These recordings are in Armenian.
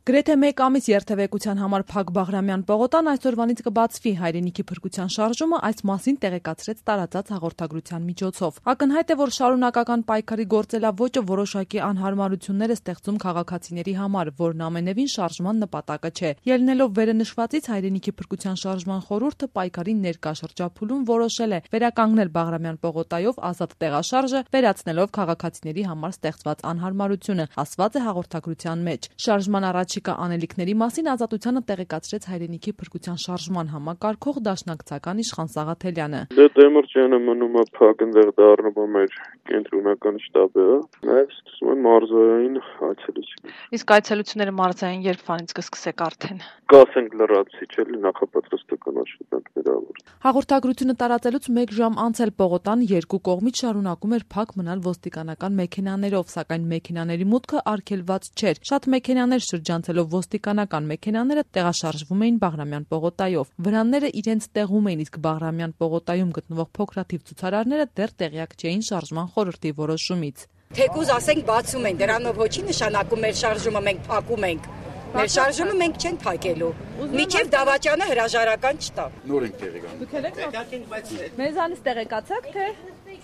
Գրեթե մեկ ամիս երթևեկության համար փակ Բաղրամյան պողոտան այսօրվանից կբացվի, հայրենիքի փրկության շարժումը այս մասին տեղեկացրեց տարածած հաղորդագրության միջոցով։ Ակնհայտ է, որ շարունակական պայքարի գործելավոճը որոշակի անհարմարություններ է ստեղծում քաղաքացիների համար, որն ամենևին շարժման նպատակը չէ։ Ելնելով վերը նշվածից, հայրենիքի փրկության շարժման խորհուրդը պայքարի ներկա շրջափուլում որոշել է վերականգնել Բաղրամյան պողոտայով ազատ տեղաշարժը, վերացնելով քաղաքացիների համար ստեղծված անհարմարությունը, ասված է հաղորդագրության մեջ։ Շարժման առաջիկա անելիքների մասին Ազատությանը տեղեկացրեց հայրենիքի փրկության շարժման համակարգող դաշնակցական Իշխան Սաղաթելյանը։ Դեմիրճյանը մնում է փակ, այնտեղ դառնում է կենտրոնական շտաբը, նաև սկսում է մարզային այցելություն։ Իսկ այցելությունները մարզային երբվանից կսկսեք արդեն։ Կասենք լրացիչ էլի նախապատրաստական աշխատանքներ ավոր։ Հաղորդագրությունը տարածելուց 1 ժամ անց էլ պողոտան երկու կողմից շարունակում էր փակ մնալ ոստիկանական մեքենաներով, սակայն մեքենաների մուտքը արգելված չէր։ Շատ մեքենաներ շրջանցելով ոստիկանական մեքենաները տեղաշարժվում էին Բաղրամյան պողոտայով։ Վրանները իրենց տեղում էին, իսկ Բաղրամյան պողոտայում գտնվող փոքրաթիվ ցուցարարները դեռ տեղյակ չէին շարժման խորհրդի որոշումից։ Թեկուզ ասենք բացում են, դրանով ոչի նշանակում մեր շարժումը մենք փակում ենք։ Մեր շարժումը մենք չենք փակելու։ Միջև դավաճանը հրաժարական չտա։ Նոր ենք տեղեկանում։ Դուք եք մեզանից տեղեկացաք, թե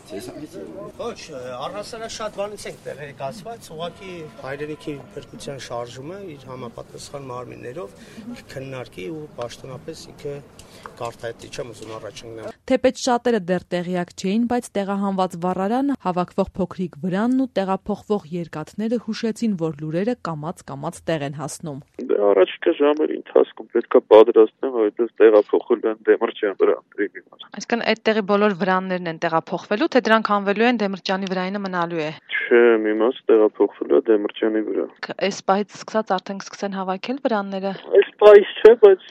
Ոչ, առհասարակ շատ բանից ենք տեղեկացված, ուղղակի հայրենիքի փրկության շարժումը իր համապատասխան մարմիններով քննարկի ու պաշտոնապես ինքը կարտահայտի չեմ ուզում առաջնալ։ Թեպետ շատերը դեռ տեղյակ չէին, բայց տեղահանված վառարանը, հավաքվող փոքրիկ վրանն ու տեղափոխվող երկաթները հուշեցին, որ լուրերը կամաց տեղ են հասնում։ Առաջիկա ժամերի ընթացքում պետք է պատրաստեն, որովհետև տեղափոխել են Դեմիրճյան վրանների։ Այսինքն այդ տեղի բոլոր վրաններն են տեղափոխվելու, թե դրանք հանվելու են Դեմիրճյանի վրայինը մնալու է։ Չէ, մի մաս տեղափոխվելու է Դեմիրճյանի վրա։ Այս պահից սկսած արդեն կսկսեն հավաքել վրանները։ Այս պահից չէ, բայց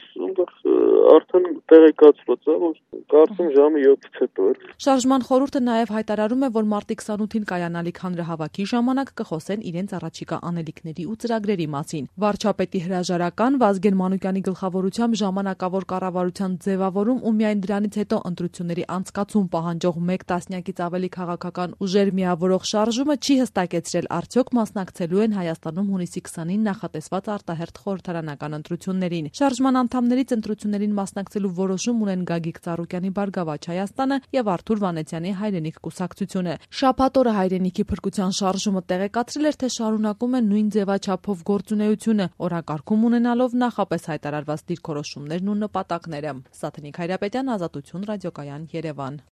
արդեն տեղեկացված է, որ կարծում ժամը 7-ից հետո է։ Շարժման խորհուրդը նաև հայտարարում է, որ մարտի 28-ին կայանալիք հանրահավաքի ժամանակ կխոսեն իրենց առաջիկա անելիքների ու ծրագրերի մասին։ Վարչապետի հրաժարական Վազգեն Մանուկյանի գլխավորությամբ ժամանակավոր կառավարության ձևավորում ու միայն դրանից հետո ընտրությունների անցկացում պահանջող 1 տասնյակից ավելի քաղաքական ուժեր միավորող շարժումը չի հստակեցրել արդյոք մասնակցելու են Հայաստանում հունիսի 20-ին նախատեսված արտահերթ խորհրդարանական ընտրություններին։ Շարժման անդամներից ընտրություններին մասնակցելու որոշում ունեն Գագիկ Ծառուկյանի Բարգավաճ Հայաստանը եւ Արթուր Վանեցյանի Հայրենիք կուսակցությունը։ Շաբաթ օրը հայրենիքի փրկության շարժումը տեղեկացրել էր, թե շարունակում է նույն ձևաչափով գործունեությունը, օրակարգում ունենալով նախապես հայտարարված դիրքորոշումներն ու նպատակները։ Սաթենիկ Հայրապետյան, Ազատություն, Ռադիոկայան, Երևան։